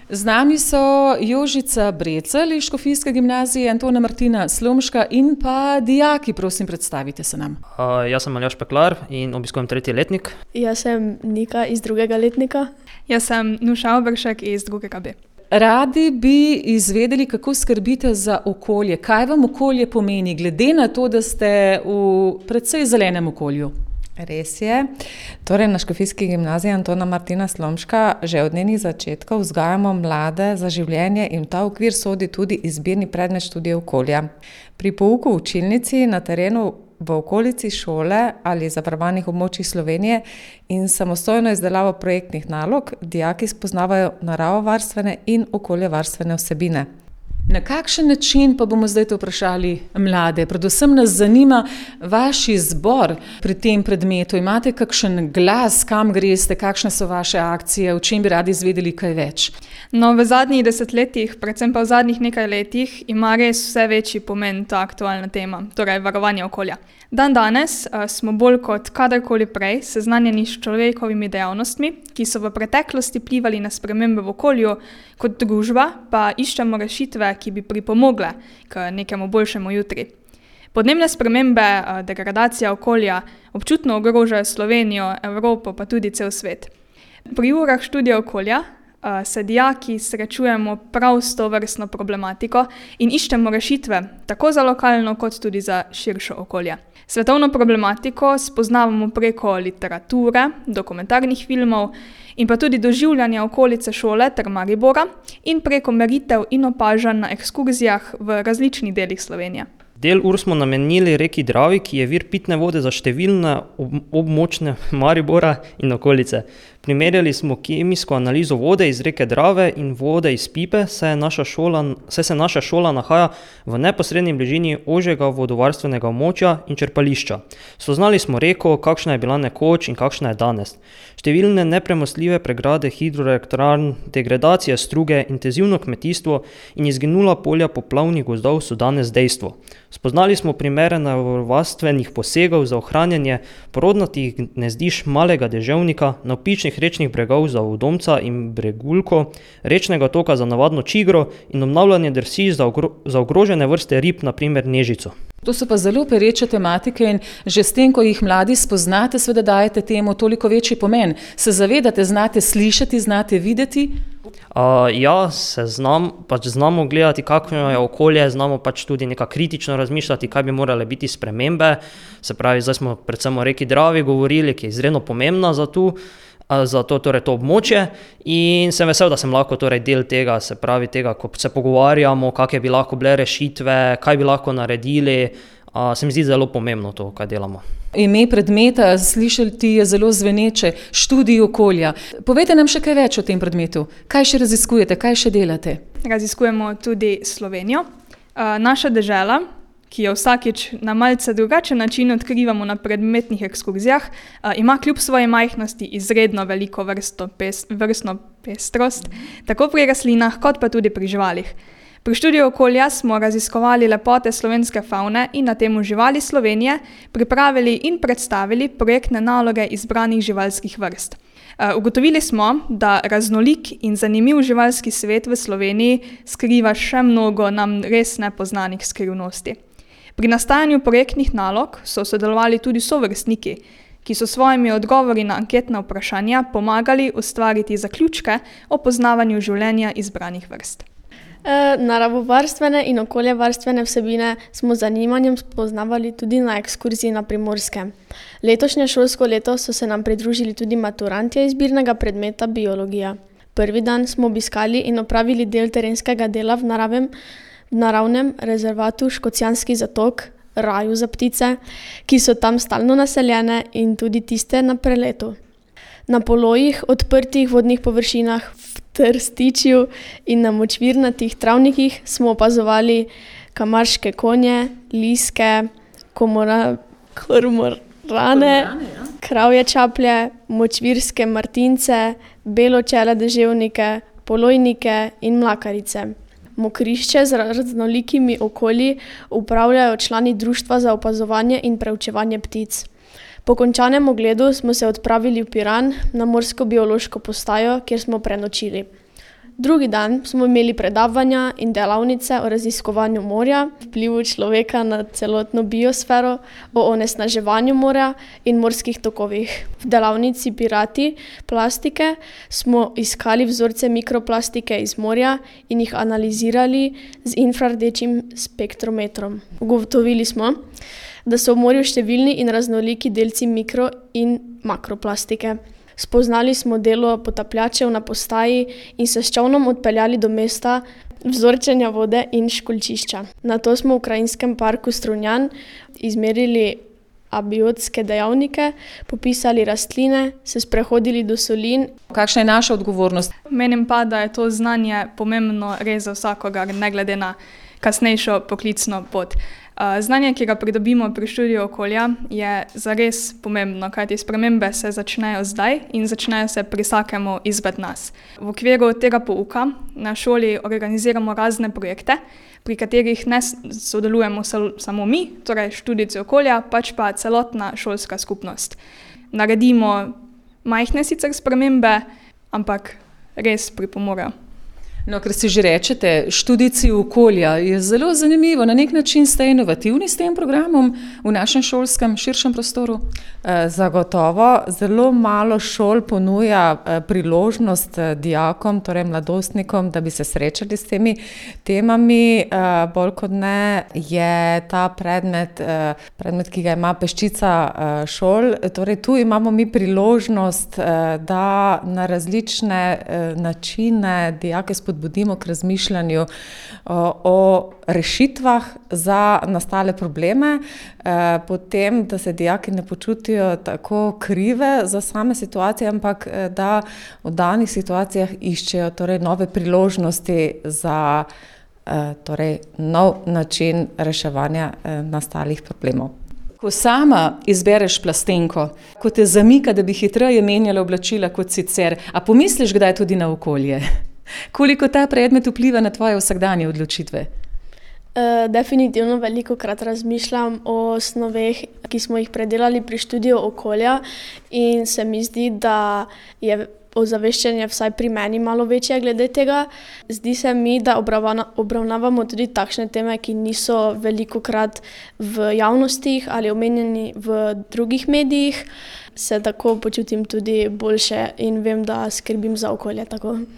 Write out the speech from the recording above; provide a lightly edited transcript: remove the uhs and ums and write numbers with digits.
Z nami so Jožica Brecelj iz Škofijske gimnazije, Antona Martina Slomška in pa dijaki, prosim, predstavite se nam. Jaz sem Aljaž Peklar in obiskujem 3. letnik. Jaz sem Nika iz 2. letnika. Jaz sem Nuša Obršek iz 2. B. Radi bi izvedeli, kako skrbite za okolje. Kaj vam okolje pomeni, glede na to, da ste v precej zelenem okolju? Res je. Torej, na Škofijski gimnaziji Antona Martina Slomška že od njenih začetkov vzgajamo mlade za življenje in v ta okvir sodi tudi izbirni predmet študija okolja. Pri pouku v učilnici, na terenu v okolici šole ali zavarovanih območjih Slovenije in samostojno izdelavo projektnih nalog dijaki spoznavajo naravovarstvene in okoljevarstvene vsebine. Na kakšen način pa bomo zdaj to vprašali mlade? Predvsem nas zanima vaš izbor pri tem predmetu. Imate kakšen glas, kam greste, kakšne so vaše akcije, o čem bi radi izvedeli kaj več? No, v zadnjih desetletjih, predvsem pa v zadnjih nekaj letih, ima res vse večji pomen ta aktualna tema, torej varovanje okolja. Danes smo bolj kot kadarkoli prej seznanjeni s človekovimi dejavnostmi, ki so v preteklosti vplivali na spremembe v okolju, kot družba pa iščemo rešitve, ki bi pripomogle k nekemu boljšemu jutri. Podnebne spremembe, degradacija okolja občutno ogrožajo Slovenijo, Evropo pa tudi cel svet. Pri urah študija okolja se dijaki srečujemo prav s to vrstno problematiko in iščemo rešitve tako za lokalno kot tudi za širšo okolje. Svetovno problematiko spoznavamo preko literature, dokumentarnih filmov in pa tudi doživljanja okolice šole ter Maribora in preko meritev in opažanj na ekskurzijah v različnih delih Slovenije. Del ur smo namenili reki Dravi, ki je vir pitne vode za številne območne Maribora in okolice. Primerjali smo kemijsko analizo vode iz reke Drave in vode iz pipe, saj se naša šola nahaja v neposredni bližini ožjega vodovarstvenega območja in črpališča. Spoznali smo reko, kakšna je bila nekoč in kakšna je danes. Številne nepremostljive pregrade hidroelektrarn, degradacija struge, intenzivno kmetijstvo in izginula polja poplavnih gozdov so danes dejstvo. Spoznali smo primere naravovarstvenih posegov za ohranjanje porodnatih gnezdišč malega deževnika, navpičnih rečnih bregov za Udomca in Bregulko, rečnega toka za navadno čigro in obnavljanje drsi za ogrožene vrste rib, na primer nežico. To so pa zelo pereče tematike in že s tem, ko jih mladi spoznate, seveda dajete temu toliko večji pomen. Se zavedate, znate slišati, znate videti? Znamo gledati, kakšno je okolje, znamo tudi nekako kritično razmišljati, kaj bi morale biti spremembe. Se pravi, zdaj smo predvsem o reki Dravi govorili, ki je izredno pomembna za to območje in sem vesel, da sem lahko del tega, se pravi tega, ko se pogovarjamo, kakšne bi lahko bile rešitve, kaj bi lahko naredili, se mi zdi zelo pomembno to, kaj delamo. Ime predmeta, slišati je zelo zveneče, študij okolja. Povejte nam še kaj več o tem predmetu. Kaj še raziskujete, kaj še delate? Raziskujemo tudi Slovenijo. Naša dežela, ki jo vsakič na malce drugačen način odkrivamo na predmetnih ekskurzijah, ima kljub svoji majhnosti izredno veliko vrstno pestrost, tako pri rastlinah kot pa tudi pri živalih. Pri študiju okolja smo raziskovali lepote slovenske favne in na temu Živali Slovenije pripravili in predstavili projektne naloge izbranih živalskih vrst. Ugotovili smo, da raznolik in zanimiv živalski svet v Sloveniji skriva še mnogo nam res nepoznanih skrivnosti. Pri nastajanju projektnih nalog so sodelovali tudi sovrstniki, ki so svojimi odgovori na anketna vprašanja pomagali ustvariti zaključke o poznavanju življenja izbranih vrst. Naravovarstvene in okoljevarstvene vsebine smo z zanimanjem spoznavali tudi na ekskurziji na Primorskem. Letošnje šolsko leto so se nam pridružili tudi maturantje izbirnega predmeta biologija. Prvi dan smo obiskali in opravili del terenskega dela v naravnem rezervatu Škocjanski zatok, raju za ptice, ki so tam stalno naseljene in tudi tiste na preletu. Na polojih, odprtih vodnih površinah, v trstičju in na močvirnatih travnikih smo opazovali kamarške konje, liske, kormorane, kravje čaplje, močvirske martince, beločele deževnike, polojnike in mlakarice. Mokrišče z raznolikimi okolji upravljajo člani Društva za opazovanje in preučevanje ptic. Po končanem ogledu smo se odpravili v Piran na morsko biološko postajo, kjer smo prenočili. Drugi dan smo imeli predavanja in delavnice o raziskovanju morja, vplivu človeka na celotno biosfero, o onesnaževanju morja in morskih tokovih. V delavnici Pirati plastike smo iskali vzorce mikroplastike iz morja in jih analizirali z infrardečim spektrometrom. Ugotovili smo, da so v morju številni in raznoliki delci mikro- in makroplastike. Spoznali smo delo potapljačev na postaji in se s čolnom odpeljali do mesta vzorčenja vode in školjčišča. Nato smo v Krajinskem parku Strunjan izmerili abiotske dejavnike, popisali rastline, se sprehodili do solin. Kakšna je naša odgovornost? Menim pa, da je to znanje pomembno res za vsakogar, ne glede na kasnejšo poklicno pot. Znanje, ki ga pridobimo pri študiju okolja, je zares pomembno, kajti spremembe se začnejo zdaj in začnejo se pri vsakemu izmed nas. V okviru tega pouka na šoli organiziramo razne projekte, pri katerih ne sodelujemo samo mi, torej študijci okolja, pač pa celotna šolska skupnost. Naredimo majhne sicer spremembe, ampak res pripomorejo. No, ker si že rečete, študijci okolja je zelo zanimivo. Na nek način ste inovativni s tem programom v našem šolskem širšem prostoru? Zagotovo. Zelo malo šol ponuja priložnost dijakom, torej mladostnikom, da bi se srečali s temi temami. Bolj kot ne je ta predmet, ki ga ima peščica šol. Torej, tu imamo mi priložnost, da na različne načine dijake spodbudimo k razmišljanju o rešitvah za nastale probleme, potem, da se dijaki ne počutijo tako krive za same situacije, ampak da v danih situacijah iščejo torej nove priložnosti za torej nov način reševanja nastalih problemov. Ko sama izbereš plastenko, ko te zamika, da bi hitreje menjala oblačila kot sicer, a pomisliš kdaj tudi na okolje? Koliko ta predmet vpliva na tvoje vsakdanje odločitve? Definitivno velikokrat razmišljam o snoveh, ki smo jih predelali pri študiju okolja, in se mi zdi, da je ozaveščanje vsaj pri meni malo večje glede tega. Zdi se mi, da obravnavamo tudi takšne teme, ki niso velikokrat v javnostih ali omenjeni v drugih medijih. Se tako počutim tudi boljše in vem, da skrbim za okolje tako.